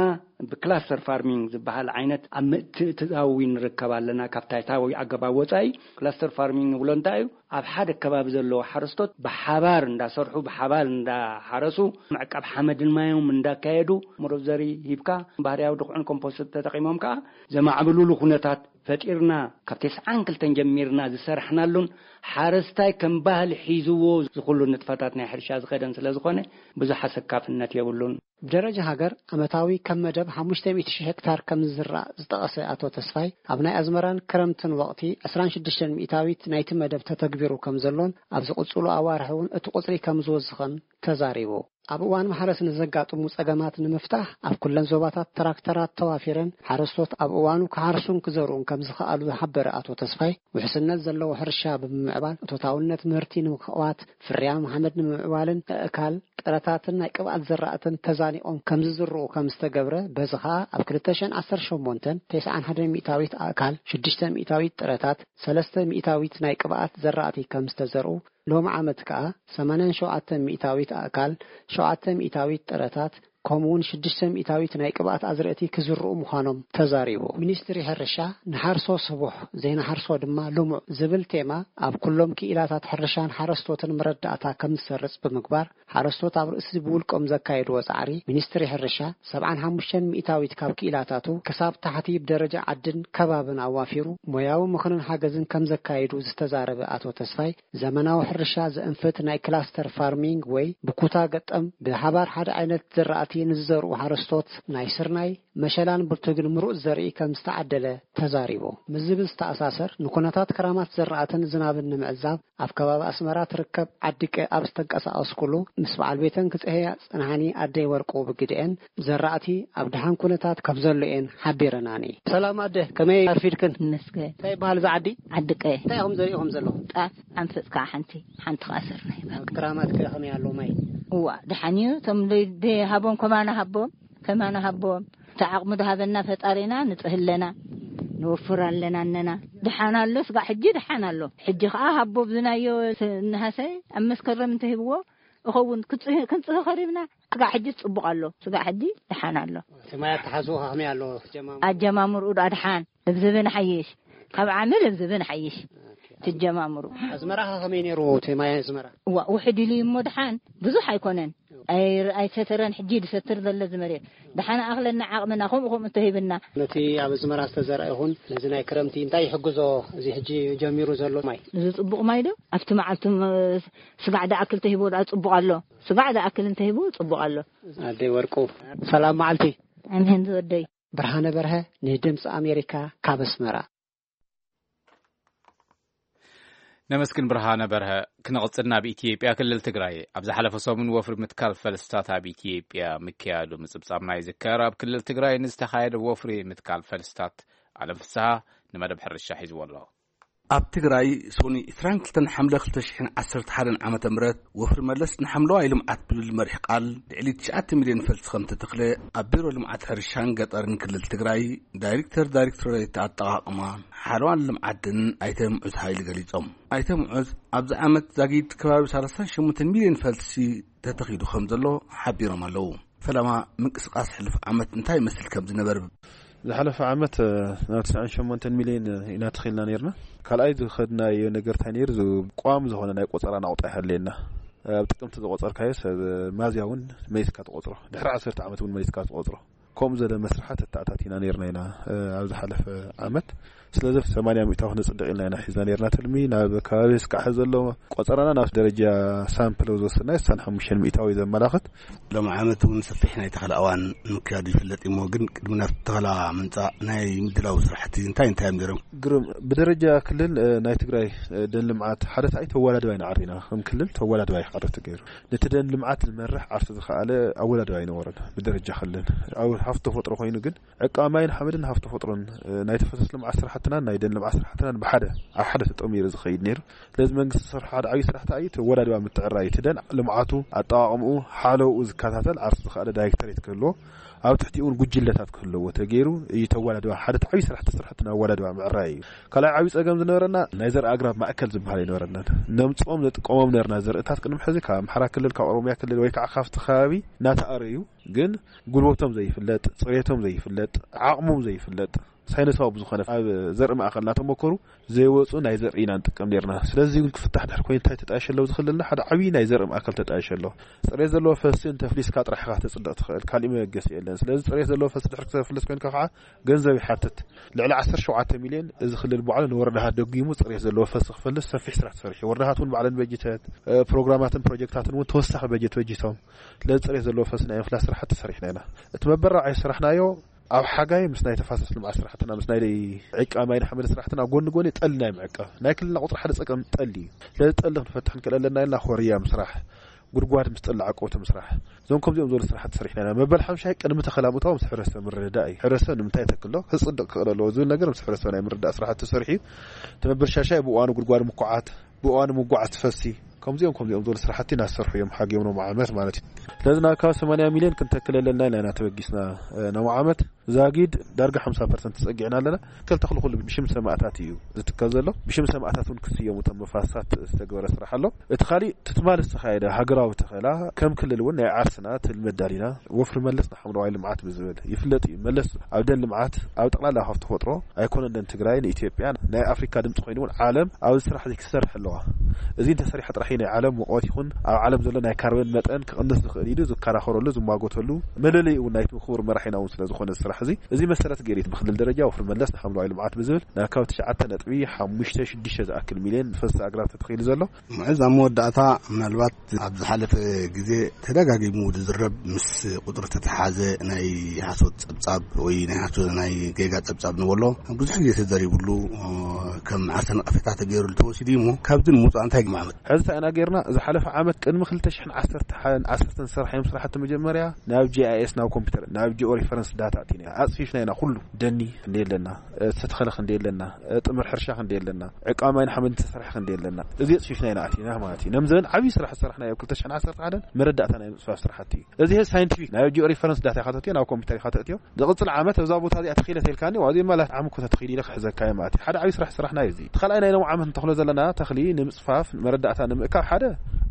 ብክላስተር ፋርሚንግ ዝበሃል ዓይነት ኣብ ምትእትታው ንርከብ ኣለና። ካብ ታይታዊ ኣገባብ ወጻኢ ክላስተር ፋርሚንግ ንብሎ እንታይ እዩ? ኣብ ሓደ ከባቢ ዘለዉ ሓረስቶት ብሓባር እንዳሰርሑ፣ ብሓባር እንዳሓረሱ፣ ምዕቃብ ሓመድን ማዮም እንዳካየዱ፣ መረብ ዘሪ ሂብካ፣ ባህርያዊ ድኹዕን ኮምፖስት ተጠቒሞም ከኣ ዘማዕብሉሉ ኩነታት ፈጢርና። ካብ ተስዓን ክልተን ጀሚርና ዝሰራሕናሉን፣ ሓረስታይ ከም ባህሊ ሒዝዎ ዝኹሉ ንጥፈታት ናይ ሕርሻ ዝኸደን ስለ ዝኾነ፣ ብዙሕ ኣሰካፍነት የብሉን። ብደረጃ ሃገር፣ ዓመታዊ ከም መደብ ሓሙሽተ ሚእቲ ሽሕ ሄክታር ከም ዝዝራእ ዝጠቐሰ ኣቶ ተስፋይ፣ ኣብ ናይ ኣዝመራን ክረምትን ወቕቲ ዕስራን ሽዱሽተን ሚእታዊት ናይቲ መደብ ተተግቢሩ ከም ዘሎን፣ ኣብ ዝቕጽሉ ኣዋርሕ እውን እቲ ቁጽሪ ከም ዝወስኽን ተዛሪቡ። ኣብ እዋን ማሕረስ ንዘጋጥሙ ጸገማት ንምፍታሕ ኣብ ኩለን ዞባታት ትራክተራት ተዋፊረን ሓረስቶት ኣብ እዋኑ ክሓርሱን ክዘርኡን ከም ዝኸኣሉ ዝሓበረ ኣቶ ተስፋይ፣ ውሕስነት ዘለዎ ሕርሻ ብምምዕባል እቶታውነት ምህርቲ ንምኽዋት፣ ፍርያም ሓመድ ንምምዕባልን ኣእካል፣ ጥረታትን ናይ ቅብኣት ዘራእትን ተዛኒቖም ከም ዝዝርኡ ከም ዝተገብረ፣ በዚ ኸኣ ኣብ ክልተ ሽሕን ዓሰርተ ሸሞንተን ተስዓን ሓደን ሚእታዊት ኣእካል፣ ሽዱሽተ ሚእታዊት ጥረታት፣ ሰለስተ ሚእታዊት ናይ ቅብኣት ዘራእቲ ከም ዝተዘርኡ፣ ሎሚ ዓመት ከኣ ሰማንያን ሸውዓተን ሚእታዊት ኣእካል፣ ሸውዓተ ሚእታዊት ጥረታት፣ ከምኡውን ሽዱሽተ ሚእታዊት ናይ ቅብኣት ኣዝርእቲ ክዝርኡ ምዃኖም ተዛሪቡ። ሚኒስትሪ ሕርሻ፣ "ንሓርሶ ስቡሕ፣ ዘይንሓርሶ ድማ ልሙዕ" ዝብል ቴማ ኣብ ኩሎም ክኢላታት ሕርሻን ሓረስቶትን መረዳእታ ከም ዝሰርጽ ብምግባር፣ ሓረስቶት ኣብ ርእሲ ብውልቆም ዘካየድዎ ጻዕሪ፣ ሚኒስትሪ ሕርሻ ሰብዓን ሓሙሽተን ሚእታዊት ካብ ክኢላታቱ ክሳብ ታሕቲ ብደረጃ ዓድን ከባብን ኣዋፊሩ ሞያዊ ምኽርን ሓገዝን ከም ዘካየዱ ዝተዛረበ ኣቶ ተስፋይ፣ ዘመናዊ ሕርሻ ዘእንፍት ናይ ክላስተር ፋርሚንግ ወይ ብኩታ ገጠም ብሓባር ሓደ ዓይነት ዘራእቲ ንዝዘርኡ ሓረስቶት ናይ ስርናይ፣ መሸላን ብርቱግን ምሩጽ ዘርኢ ከም ዝተዓደለ ተዛሪቡ። ምስ ዝብል ዝተኣሳሰር፣ ንኩነታት ክራማት ዘራእትን ዝናብን ንምዕዛብ ኣብ ከባቢ ኣስመራ ትርከብ ዓዲ ቀ ኣብ ዝተንቀሳቐስኩሉ፣ ምስ በዓል ቤተን ክጽህያ ጽንሓኒ ኣደይ ወርቁ ብግድኤን፣ ዘራእቲ ኣብ ደሓን ኩነታት ከም ዘሎ እየን ሓቢረናኒ። ሰላም ኣደ፣ ከመይ ኣርፊድክን? ይመስገን። እንታይ ይበሃል እዚ ዓዲ? ዓዲ ቀ። እንታይ ኢኹም ዘሪእኹም ዘለኹም? ጣፍ፣ ሓንፈጽ ከዓ ሓንቲ፣ ሓንቲ ከዓ ስርናይ። ክራማት ከ ከመይ ኣሎ ማይ? እዋ፣ ደሓን እዩ። እቶም ደይ-፣ ደይ ሃቦም ከማና ሃቦም፣ ከማና ሃቦም። እቲ ዓቕሚ ድሃበና ፈጣሪና ንጽህ ኣለና፣ ንወፍር ኣለና እነና። ደሓን ኣሎ፣ ስጋዕ ሕጂ ደሓን ኣሎ። ሕጂ ከዓ ሃቦ ብዝናዮ ስ-፣ ነሃሰ ኣብ መስከረም እንተሂብዎ እኸውን። ክጽህ-፣ ክንጽህ ከሪብና፣ ስጋዕ ሕጂ ጽቡቕ ኣሎ። ስጋዕ ሕጂ ደሓን ኣሎ። እቲ ማይ ኣተሓዝኡ ከመይ ኣሎ? ጀማምሩ? ኣጀማምርኡ ደኣ ደሓን፣ ልብዝብን ሓይሽ። ካብ ዓሚ ልብዝብን ሓይሽ። ትጀማምሩ። ኣዝመራ ከመይ ነይሩ? እቲ ማይ ኣዝመራ? እዋ፣ ውሕድ ኢሉ እዩ እሞ ደሓን፣ ብዙሕ ኣይኮነን። ኣይ-፣ ኣይሰተረን፣ ሕጂ ድሰትር ዘሎ እዚ መሬት። ደሓን ኣኽለና ዓቕምና፣ ከምኡ ከምኡ እንተሂብና። ነቲ ኣብ ኣዝመራ ዝተዘርአ ይኹን ነዚ ናይ ክረምቲ እንታይ ይሕግዞ? እዚ ሕጂ ጀሚሩ ዘሎ ማይ። እዚ ጽቡቕ ማይ ዶ? ኣብቲ መዓልቲ ም-፣ ስጋዕ ደኣክል ተሂቦ ደኣ ጽቡቕ ኣሎ። ስጋዕ ደኣክል እንተሂቦ ጽቡቕ ኣሎ። ኣደይ ወርቁ፣ ሰላም መዓልቲ። ኣሜን ዝወደይ። ብርሃነ በርሀ፣ ንድምፂ ኣሜሪካ፣ ካብ ኣስመራ። ነመስግን ብርሃነ በርሀ። ክንቕጽል ናብ ኢትዮጵያ፣ ክልል ትግራይ ኣብ ዝሓለፈ ሰሙን ወፍሪ ምትካል ፈልስታት ኣብ ኢትዮጵያ ምክያዱ ምጽብጻብና ይዝከር። ኣብ ክልል ትግራይ ንዝተኻየደ ወፍሪ ምትካል ፈልስታት፣ ኣለም ፍስሃ ንመደብ ሕርሻ ሒዝዎ ኣሎ። ኣብ ትግራይ ሰኑይ ዕስራን ክልተን ሓምለ ክልተ ሽሕን ዓሰርተ ሓደን ዓመተ ምህረት ወፍሪ መለስ ንሓምለዋይ ልምዓት ብዝብል መሪሕ ቃል ልዕሊ ትሽዓተ ሚልዮን ፈልሲ ከም ተተኽለ ኣብ ቢሮ ልምዓት ሕርሻን ገጠርን ክልል ትግራይ ዳይሬክተር ዳይሬክቶሬት ኣጠቓቕማ ሓለዋን ልምዓትን ኣይተ ምዑዝ ሃይሉ ገሊጾም። ኣይተ ምዑዝ ኣብዚ ዓመት ዛጊድ ከባቢ ሰላሳን ሸሞንተን ሚልዮን ፈልሲ ተተኺሉ ከም ዘሎ ሓቢሮም ኣለዉ። ፈለማ ምንቅስቓስ ሕሉፍ ዓመት እንታይ ይመስል ከም ዝነበረ ዝሓለፈ ዓመት፣ እ፣ ናብ ትስዓን ሸሞንተን ሚልዮን ኢና ተኺልና ነይርና። ካልኣይ ዝኸድናዮ ነገር እንታይ ነይሩ? ዝ-፣ ቋሚ ዝኾነ ናይ ቆጸራ ናቑጣ ይሃልየና። ኣብ ጥቅምቲ ዝቆጸርካዮ ሰብ ሚያዝያ እውን መሊስካ ትቆጽሮ። ድሕሪ ዓሰርተ ዓመት እውን መሊስካ ትቆጽሮ። ከምኡ ዘለ መስርሓት ኣተኣታቲና ነይርና ኢና፣ እ፣ ኣብ ዝሓለፈ ዓመት። ስለዚ ሰማንያ ሚእታዊ ክነጽድቕ ኢልና ኢና ሒዝና ነይርና ትልሚ። ናብ ከባቢ እስካዕ ዘሎ ቆጸራና ናብ ደረጃ ሳምፕል ዝወሰድናዮ ስሳን ሓሙሽተን ሚእታዊ ዘመላኽት። ሎም ዓመት እውን ሰፊሕ ናይ ተኸላ እዋን ምክያዱ ይፍለጥ እሞ፣ ግን ቅድሚ ናብ ተኸላ ምምጻእ ናይ ምድላው ስራሕቲ እንታይ እንታይ እዮም ነይሮም? ግሩም። ብደረጃ ክልል፣ እ፣ ናይ ትግራይ፣ እ፣ ደን ልምዓት ሓረስታይ ተወዳዳሪ ኢና ዓሪና። ከም ክልል ተወዳዳሪ ዓረስቲ ገይሩ። ነቲ ደን ልምዓት ዝመርሕ ዓርሱ ዝኸኣለ ኣወዳዳሪ ኣይነበረን። ብደረጃ ክልል ኣብ ሃፍቲ ተፈጥሮ ኮይኑ ግን ዕቃ ማይን ሓመድን ሃፍቲ ተፈጥሮን፣ እ፣ ናይ ተፋሰስ ልምዓት ስራሕትናን ናይ ደን ልምዓት ስራሕትናን ብሓደ፣ ኣብ ሓደ ተጠሚሩ ዝኸይድ ነይሩ። ስለዚ መንግስቲ ዝሰርሖ ሓደ ዓብዪ ስራሕ እንታይ እዩ? እቲ ኣወዳድባ ምትዕርራይ፣ እቲ ደን ልምዓቱ፣ ኣጠቓቕምኡ፣ ሓለውኡ ዝከታተል ዓርሱ ዝኸኣለ ዳይሬክተሬት ክህልዎ፣ ኣብ ትሕቲኡ እውን ጉጅለታት ክህልዎ ተገይሩ እዩ። እቲ ኣወዳድባ ሓደ ዓብዪ ስራሕ፣ እቲ ስራሕቲ ናይ ኣወዳድባ ምዕራይ እዩ። ካልኣይ ዓብዪ ጸገም ዝነበረና ናይ ዘርኢ ኣግራብ ማእከል ዝበሃል ኣይነበረናን። ነምጽኦም ነጥቀሞም ነበርና ዘርእታት ቅድሚ ሕዚ ካብ ኣምሓራ ክልል፣ ካብ ኦሮሚያ ክልል ወይ ከዓ ካብቲ ከባቢ እናተኣረዩ፣ ግን ጉልበቶም ዘይፍለጥ፣ ጽሬቶም ዘይፍለጥ፣ ዓቕሞም ዘይፍለጥ፣ ሳይንሳዊ ብዝኾነ ኣብ ዘርኢ ማእከል እናተመከሩ ዘይወፁ ናይ ዘርኢ ኢና ንጥቀም ነርና። ስለዚ እውን ክፍታሕ ድሕሪ ኮይኑ እንታይ ተጣየሸ ኣለዎ? ዝኽልልና ሓደ ዓብዪ ናይ ዘርኢ ማእከል ተጣየሸ ኣለዎ። ጽሬት ዘለዎ ፈስሲ እንተፍሊስካ ጥራሕ ኢኻ ተጽድቕ ትኽእል፣ ካሊእ መበገሲ የለን። ስለዚ ጽሬት ዘለዎ ፈስሲ ድሕሪ ክተፍልስ ኮይንካ ከዓ ገንዘብ ይሓትት። ልዕሊ ዓሰርተ ሸውዓተ ሚልዮን እዚ ክልል ባዕሉ ንወረዳታት ደጊሙ ጽሬት ዘለዎ ፈስሲ ክፈልስ ሰፊሕ ስራሕ ተሰሪሑ። ወረዳታት እውን ባዕለን በጅተት፣ እ፣ ፕሮግራማትን ፕሮጀክታትን እውን ተወሳኺ በጀት በጅቶም። ስለዚ ጽሬት ዘለዎ ፈስሲ ናይ ምፍላስ ስራሕቲ ሰሪሕና ኢና። እቲ መበረታዒ ዝሰራሕናዮ ኣብ ሓጋይ ምስ ናይ ተፋሰስ ልምዓት ስራሕትና፣ ምስ ናይ ዕቃ ማይን ሓመድ ስራሕትና ጎኒ ጎኒ ጠሊ ናይ ምዕቃብ፣ ናይ ክልልና ቁፅሪ ሓደ ፀገም ጠሊ እዩ። ስለዚ ጠሊ ክንፈትሕ ክንክእል ኣለና ኢልና ኮርያ ምስራሕ፣ ጉድጓድ ምስ ጠላዕ ቀውቲ ምስራሕ። እዞም ከምዚኦም ዝበሉ ስራሕቲ ሰሪሕና ኢና። መበል ሓምሻይ ቅድሚ ተኸላ ምእታው ምስ ሕብረተሰብ ምርድዳእ እዩ። ሕብረተሰብ ንምንታይ ተክሎ ክጽድቕ ክኽእል ኣለዎ ዝብል ነገር ምስ ሕብረተሰብ ናይ ምርድዳእ ስራሕቲ ተሰሪሑ እዩ። እቲ መበል ሻሻይ ብእዋኑ ጉድጓድ ምኩዓት፣ ብእዋኑ ምጉዓዝ ትፈሲ፣ ከምዚኦም ከምዚኦም ዝበሉ ስራሕቲ እናሰርሑ እዮም ሓጊኦም ሎም ዓመት ማለት እዩ። ስለዚ ናብ ካብ ሰማንያ ሚልዮን ክንተክል ኣለና ኢልና ኢና ተበጊስና። ሎም ዓመት ዛጊድ ዳርጋ ሓምሳ ፐርሰንት ተጸጊዕና ኣለና። ክልተ ክልኩሉ ብሽም ሰማእታት እዩ ዝትከል ዘሎ። ብሽም ሰማእታት እውን ክስየሙ እቶም መፋስሳት ዝተገበረ ስራሕ ኣሎ። እቲ ካሊእ ትትማል ዝተኻየደ ሃገራዊ ተኸላ ከም ክልል እውን ናይ ዓርስና ትልመድ ዳሊና ወፍሪ መለስ ንሓምለዋይ ልምዓት ብዝብል ይፍለጥ እዩ። መለስ ኣብ ደን ልምዓት ኣብ ጠቕላላ ሃፍቲ ተፈጥሮ ኣይኮነን ደን ትግራይ ንኢትዮጵያ ናይ ኣፍሪካ ድምፂ ኮይኑ እውን ዓለም ኣብዚ ስራሕ እዚ ክሰርሕ ኣለዋ። እዚ እንተሰሪሐ ጥራሕ ናይ ዓለም ሙቐት ይኹን ኣብ ዓለም ዘሎ ናይ ካርበን መጠን ክቕንስ ዝኽእል ኢሉ ዝከራኸረሉ ዝማጎተሉ መለለይ እውን ናይቲ ክቡር መራሒና እውን ስለ ዝኾነ ስራሕ እዚ እዚ መሰረት ገይሩ ብክልል ደረጃ ወፍሪ መለስ ንሓምለዋይ ልምዓት ብዝብል ናብ ካብ ትሽዓተ ነጥቢ ሓሙሽተ ሽዱሽተ ዝኣክል ሚልዮን ፈሰስ ኣግራብ ተተኺሉ ዘሎ። ምዕዝ ኣብ መወዳእታ ምናልባት ኣብ ዝሓለፈ ግዜ ተደጋጊሙ ዝዝረብ ምስ ቁፅሪ ተተሓዘ ናይ ሓሶት ፀብፃብ ወይ ናይ ሓሶት ናይ ጌጋ ፀብፃብ ንበሎ ብዙሕ ግዜ ተዘሪብሉ ከም ዓርሰ ነቐፌታ ተገይሩሉ ተወሲዱ እዩ እሞ ካብዚ ንምውፃእ እንታይ ግማመት? ሕዚ እንታይ ኢና ጌርና? ዝሓለፈ ዓመት ቅድሚ ክልተ ሽሕን ዓሰርተ ሓደን ዓሰርተ ዝሰራሕዮም ስራሕቲ መጀመርያ ናብ ጂ ኣይ ኤስ ናብ ኮምፒውተር ናብ ጂኦ ሪፈረንስ ዳታ ኣቲና ኣፅፊፍና ኢና ኩሉ ደኒ ክንደይ ኣለና ዝተተኸለ ክንደይ ኣለና ጥምር ሕርሻ ክንደይ ኣለና ዕቃ ማይን ሓመድን ተሰራሕ ክንደይ ኣለና እዚ ኣፅፊፍና ኢና ኣቲና ማለት እዩ። ነምዘን ዓብዪ ስራሕ ዝሰራሕናዮ ክልተ ሽሕን ዓሰርተ ሓደን መረዳእታ ናይ ምፅፋፍ ስራሕቲ እዩ። እዚ ሳይንቲፊክ ናብ ጂኦ ሪፈረንስ ዳታ ኢኻ ተእትዮ ናብ ኮምፒውተር ኢኻ ተእትዮ ዝቕፅል ዓመት እዛ ቦታ እዚኣ ተኺለ ተልካኒ ዋዚ ማለት ዓም እኮ ተተኺሉ ኢለ ክሕዘካ እየ ማለት እዩ። ሓደ ዓብዪ ስራሕ ስራሕና እዩ እዚ። እቲ ካልኣይ ናይ ሎም ዓመት እንተኽሎ ዘለና ተኽሊ ንምፅፋፍ መረዳእታ ንምእካብ ሓደ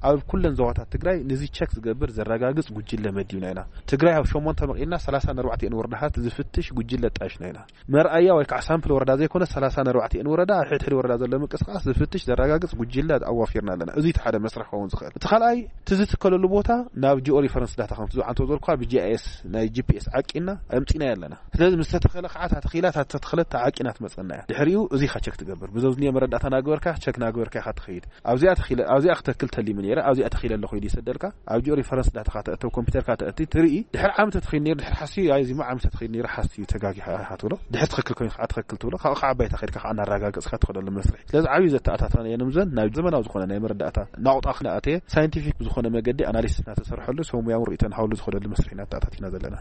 ኣብ ኩለን ዞባታት ትግራይ ንዚ ቸክ ዝገብር ዘረጋግፅ ጉጅለ መዲብና ኢና። ትግራይ ኣብ ሸሞንተ መቒልና ሰላሳ ኣርባዕተ ወረዳታት ዝፍትሽ ጉጅለ ጣሽና ኢና። መርኣያ ወይ ከዓ ሳምፕል ወረዳ ዘይኮነ ሰላሳ ኣርባዕተ ወረዳ ኣብ ሕድሕድ ወረዳ ዘሎ ምንቅስቃስ ዝፍትሽ ዘረጋግፅ ጉጅለ ኣዋፊርና ኣለና። እዚ እቲ ሓደ መስርሕ ክኸውን ዝኽእል። እቲ ካልኣይ እቲ ዝትከለሉ ቦታ ናብ ጂኦ ሪፈረንስ ዳታ ከምቲ ዝዓንቶ ዘልኳ ብጂኣይኤስ ናይ ጂፒኤስ ዓቂና ኣምፂና ኣለና። ስለዚ ምስ ተተኸለ ከዓ እታ ተኺላ እታ ተተኽለት ዓቂና ትመፀና እያ። ድሕሪኡ እዚ ኢኻ ቸክ ትገብር ብዘዝኒዮ መረዳእታ ናገበርካ ቸክ ናገበርካ ኢኻ ትኸይድ። ኣብዚኣ ተኺለ ኣብዚኣ ክተክል ተሊሙ ነይረ ኣብዚኣ ተኺለ ኣለኹ ኢሉ ይሰደልካ። ኣብ ጂኦ ሪፈረንስ ዳታ ካተእተው ኮምፒውተር ካተእቲ ትርኢ ድሕር ዓመት ተተኺል ነይሩ ድሕር ሓስዩ ኣይ ዚማ ዓመት ተተኺል ነይሩ ሓስዩ ተጋጊኻ ኢኻ ትብሎ። ድሕር ትኽክል ኮይኑ ከዓ ትኽክል ትብሎ ካብኡ ከዓ ኣባይታ ከድካ ከዓ እናረጋገፅካ ትኸደሉ መስርሕ። ስለዚ ዓብዩ ዘተኣታተና የንምዘን ናብ ዘመናዊ ዝኾነ ናይ መረዳእታ ናቑጣ ክነኣተየ ሳይንቲፊክ ብዝኾነ መገዲ ኣናሊሲስ እናተሰርሐሉ ሰብ ሙያውን ርእይቶን ሃውሉ ዝኸደሉ መስርሕ ኢና ኣተኣታቲና ዘለና።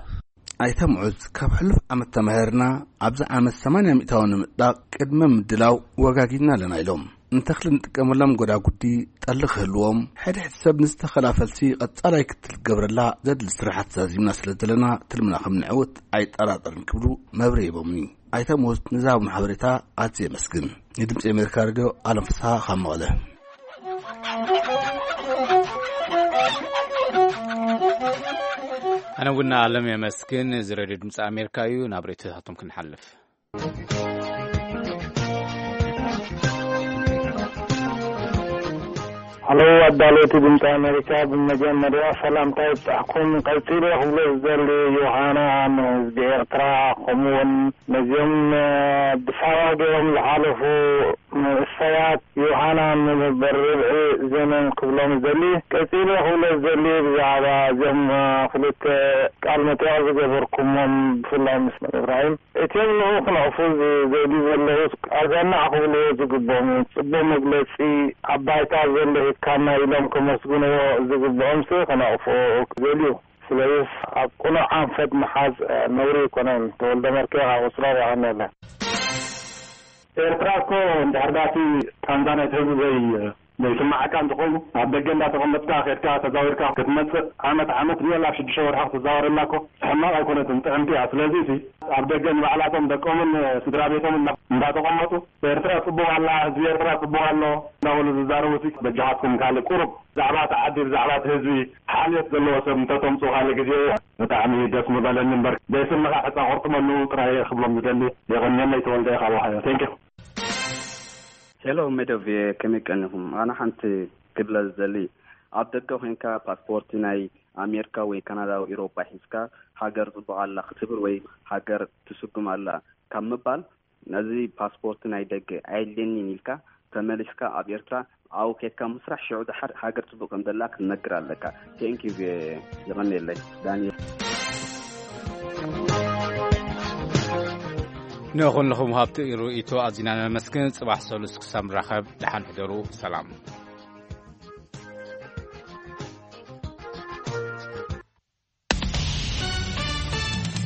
ኣይተ ምዑዝ ካብ ሕሉፍ ዓመት ተማሂርና ኣብዚ ዓመት ሰማንያ ሚእታዊ ንምጥዳቕ ቅድመ ምድላው ወጋጊድና ኣለና ኢሎም። ንተኽሊ ንጥቀመሎም ጎዳጉዲ ጠሊ ክህልዎም ሕድሕድ ሰብ ንዝተኸላ ፈልሲ ቀጻላይ ክትል ክገብረላ ዘድሊ ስራሓት ዛዚምና ስለ ዘለና ትልምና ከም ንዕውት ኣይጠራጠርን ክብሉ መብርሂ ሂቦምኒ። ኣይተ ምዑዝ ንዝሃቡና ሓበሬታ ኣዝየ የመስግን። ንድምፂ ኣሜሪካ ሬድዮ ኣለም ፍስሓ ካብ መቐለ። ኣነ እውን ኣለም የመስግን። እዚ ሬድዮ ድምፂ ኣሜሪካ እዩ። ናብ ሬድዮታቶም ክንሓልፍ። ሃሎ ኣዳለውቲ ድምፂ ኣሜሪካ፣ ብመጀመርያ ሰላምታ ይብፃሕኩም። ቀፂለ ክብሎ ዝደሊ ዮሃና ንህዝቢ ኤርትራ ከምኡውን ነዚኦም ብሳዋ ገይሮም ዝሓለፉ መንእሰያት ዮሃና ንመበል ርብዒ ዘመን ክብሎም ዝደሊ። ቀፂለ ክብሎ ዝደሊ ብዛዕባ እዚኦም ክልተ ቃል መጠየቕ ዝገበርኩሞም ብፍላይ ምስ ኢብራሂም እቲኦም ንኡ ክነቕፉ ዝደልዩ ዘለዉ ኣዛናዕ ክብልዎ ዝግብኦም እዩ። ጽቡቕ መግለጺ ኣብ ባይታ ዘሎ ሂብካና ኢሎም ከመስግንዎ ዝግብኦምሲ ክነቕፍዎ ክደልዩ። ስለዚስ ኣብ ቅኑዕ ኣንፈት ምሓዝ ነውሪ ኣይኮነን። ተወልደ መርኬ ካብ ኣውስትራልያ ቀንየለ። ኤርትራ እኮ እንድሕር ዳቲ ቃንዛ ናይቲ ህዝቢ ዘይ ዘይስማዓካ እንተኾይኑ ኣብ ደገ እንዳተቐመጥካ ኬድካ ተዛዊርካ ክትመጽእ ዓመት ዓመት ሪዮል ኣብ ሽዱሽተ ወርሒ ክትዛወረላ እኮ ሕማቕ ኣይኮነትን ጥዕምቲ እያ። ስለዚ ሲ ኣብ ደገ ንባዕላቶም ደቆምን ስድራ ቤቶምን እንዳተቐመጡ ኤርትራ ጽቡቕ ኣላ ህዝቢ ኤርትራ ጽቡቕ ኣሎ እንዳበሉ ዝዛረቡ ሲ በጃኻትኩም ካልእ ቁሩብ ብዛዕባ እቲ ዓዲ ብዛዕባ እቲ ህዝቢ ሓልዮት ዘለዎ ሰብ እንተተምጽኡ ካልእ ግዜ ብጣዕሚ ደስ ምበለኒ እምበር ዘይስምኻ ሕጻ ቁርጥመሉ ጥራይ ክብሎም ዝደሊ። የቐንየለይ ተወልደ ካብ ኦሃዮ። Thank you። ሄሎ ሜዶቭየ ከመይ ቀኒኹም? ኣነ ሓንቲ ክብለ ዝደሊ ኣብ ደገ ኮይንካ ፓስፖርቲ ናይ ኣሜሪካ ወይ ካናዳ ወይ ኤሮጳ ሒዝካ ሃገር ጽቡቕ ኣላ ክትብል ወይ ሃገር ትስጉም ኣላ ካብ ምባል ነዚ ፓስፖርቲ ናይ ደገ ኣየድልየኒን ኢልካ ተመሊስካ ኣብ ኤርትራ ኣብኡ ኬድካ ምስራሕ ሽዑ ደሓር ሃገር ጽቡቕ ከም ዘላ ክትነግር ኣለካ። Thank you የቐንየለይ ዳንኤል። ንኹልኹም ሃብቲ ርእይቶ ኣዚና ነመስግን። ጽባሕ ሰሉስ ክሳብ ንራኸብ ደሓን ሕደሩ። ሰላም።